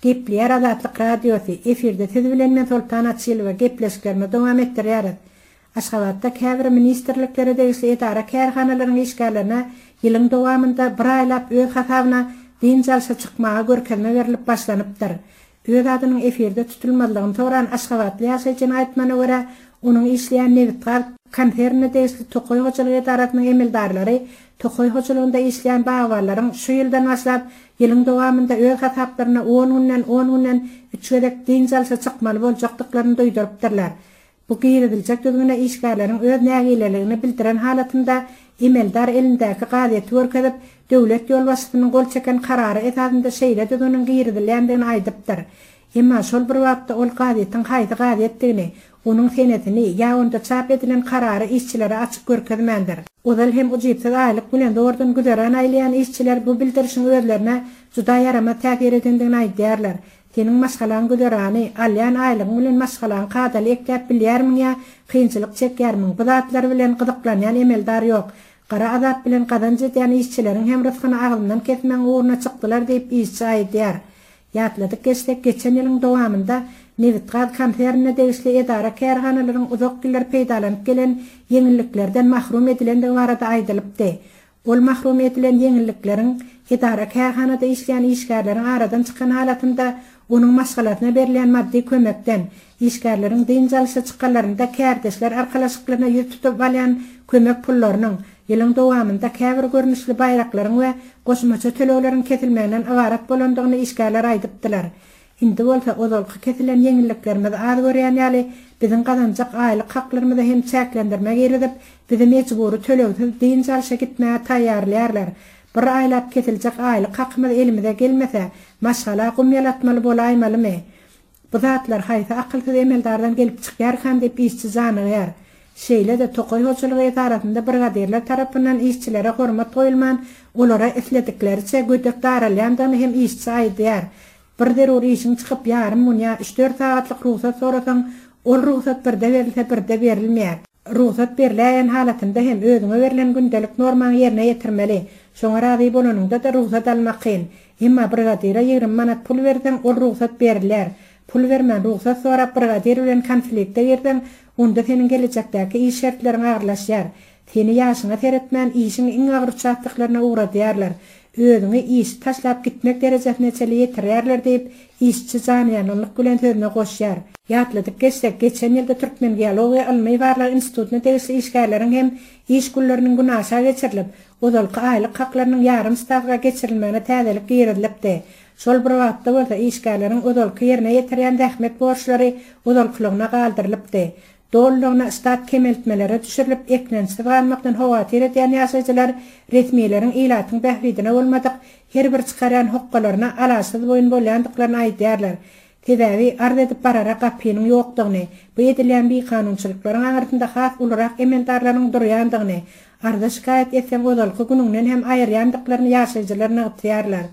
Gepleýär Azatlyk Radiosy, efirde siz bilen men Soltan Açylowa gepleşiklerimizi dowam etdirýäris. Aşgabatda käbir ministrliklere degişli edara-kärhanalaryň işgärlerine ýylyň dowamynda bir aýlap öz hasabyna dynç alşa çykmaga görkezme berlip başlanypdyr. Öz adynyň efirde tutulmazlygyny soran aşgabatly ýaşaýjynyň aýtmagyna görä, onuň işleýän nebitgaz konsernine degişli tokaý hojalyk edarasynyň emeldarlary tokaý hojalygynda işleýän bagbanlaryň şu ýyldan başlap ýylyň dowamynda öz hasaplaryna on günden on günden üç gezek dynç alşa çykmaly boljakdyklaryny duýdurypdyrlar. Bu giriziljek düzgüne işgärleriň öz nägileligini bildiren halatynda emeldar elindäki gazeti görkezip, döwlet ýolbaşçysynyň gol çeken karary esasynda şeýle düzgüniň girizilýändigini aýdypdyr. Emma şol bir wagtda ol gazetiň haýsy gazetdigini, onuň senesini ýa onda çap edilen karary işçilere açyk görkezmändir. Ozal hem ujypsyz aýlyk bilen zordan güzeran aýlaýan işçiler bu bildirişiň özlerine juda ýaramaz täsir edendigini aýdýarlar. Seniň maşgalaň güzerany, alýan aýlygyň bilen maşgalaňy kadaly ekläp bilýärmiň ýa kynçylyk çekýärmiň, bu zatlar bilen gyzyklanýan emeldar ýok. Gara azap bilen gazanç edýän işçileriň hem rysgyny agzyndan kesmegiň ugruna çykdylar diýip işçi aýdýar. Ýatladyp geçsek, geçen ýylyň dowamynda nebitgaz konsernine degişli edara-kärhanalaryň uzak ýyllar peýdalanyp gelen ýeňilliklerden mahrum edilendigi barada aýdylypdy. Ol mahrum edilen ýeňillikleriň edara-kärhanada işleýän işgärleriň aradan çykan halatynda onuň maşgalasyna berilýän maddy kömekden, işgärleriň dynç alyşa çykanlarynda kärdeşler arkalaşyklaryna ýüz tutup alýan kömek pullarynyň, ýylyň dowamynda käbir görnüşli baýraklaryň we goşmaça tölegleriň kesilmeginden ybarat bolandygyny işgärler aýdypdylar. Indi bolsa ozalky kesilen ýeňilliklerimizi az görýän ýaly, biziň gazanjak aýlyk haklarymyza hem çäklendirme girizip, bizi mejbury tölegsiz dynç alşa gitmäge taýýarlaýarlar. Bir aýlap kesiljek aýlyk hakymyz elimize gelmese, maşgala gum ýalatmaly bolaýmalymy? Bu zatlar haýsy akylsyz emeldardan gelip çykýarkan diýip işçi janygýar. Şeýle-de tokaý hojalygy edarasynda brigadirler tarapyndan işçilere hormat goýulman, olara isledikleriçe gödek daralýandygyny hem işçi aýdýar. Bir zerur işiň çykyp ýarym gün ýa üç-dört sagatlyk rugsat sorasaň, ol rugsat birde berilse birde berilmeýär. Rugsat berläýen halatynda hem özüňe berlen gündelik normaňy ýerine ýetirmeli. Şoňa razy bolanyňda-da rugsat almak kyn. Emma brigadire 20 manat pul berseň, ol rugsat berilýär. Pul bermän rugsat sorap brigadir bilen konflikte girseň, onda seniň gelejekdäki iş şertleriň agyrlaşýar. Seni ýaşyňa seretmän işiň iň agyr uçastoklaryna ugradýarlar. Özüňi işi taşlap gitmek derejesine çenli ýetirýärler diýip, işçi janyýangynlyk bilen sözüne goşýar. Ýatladyp geçsek, geçen ýylda Türkmengeologiýa ylmy-barlag institutyna degişli işgärleriň hem iş günleriniň günaşa geçirilip, ozalky aýlyk haklarynyň ýarym stawka geçirilmegine täzelik girizilipdi. Şol bir wagtda bolsa işgärleriň ozalky ýerine ýetirýän zähmet borçlary ozalkylygyna galdyrylypdy. Dolulygyna ştat kemeltmelere düşürilip, eklençsiz galmakdan howatyr edýän ýaşaýjylar resmileriň ilatyň bähbidine bolmadyk her bir çykarýan hokgalaryna alaçsyz boýun bolýandyklaryny aýdýarlar. Sebäbi arz edip barara gapynyň ýokdugyny, bu edilýän bikanunçylyklaryň aňyrsynda has ulurak emeldarlaryň durýandygyny, arza-şikaýat etseň ozalky günüňden hem aýyrýandyklaryny ýaşaýjylar nygtaýarlar.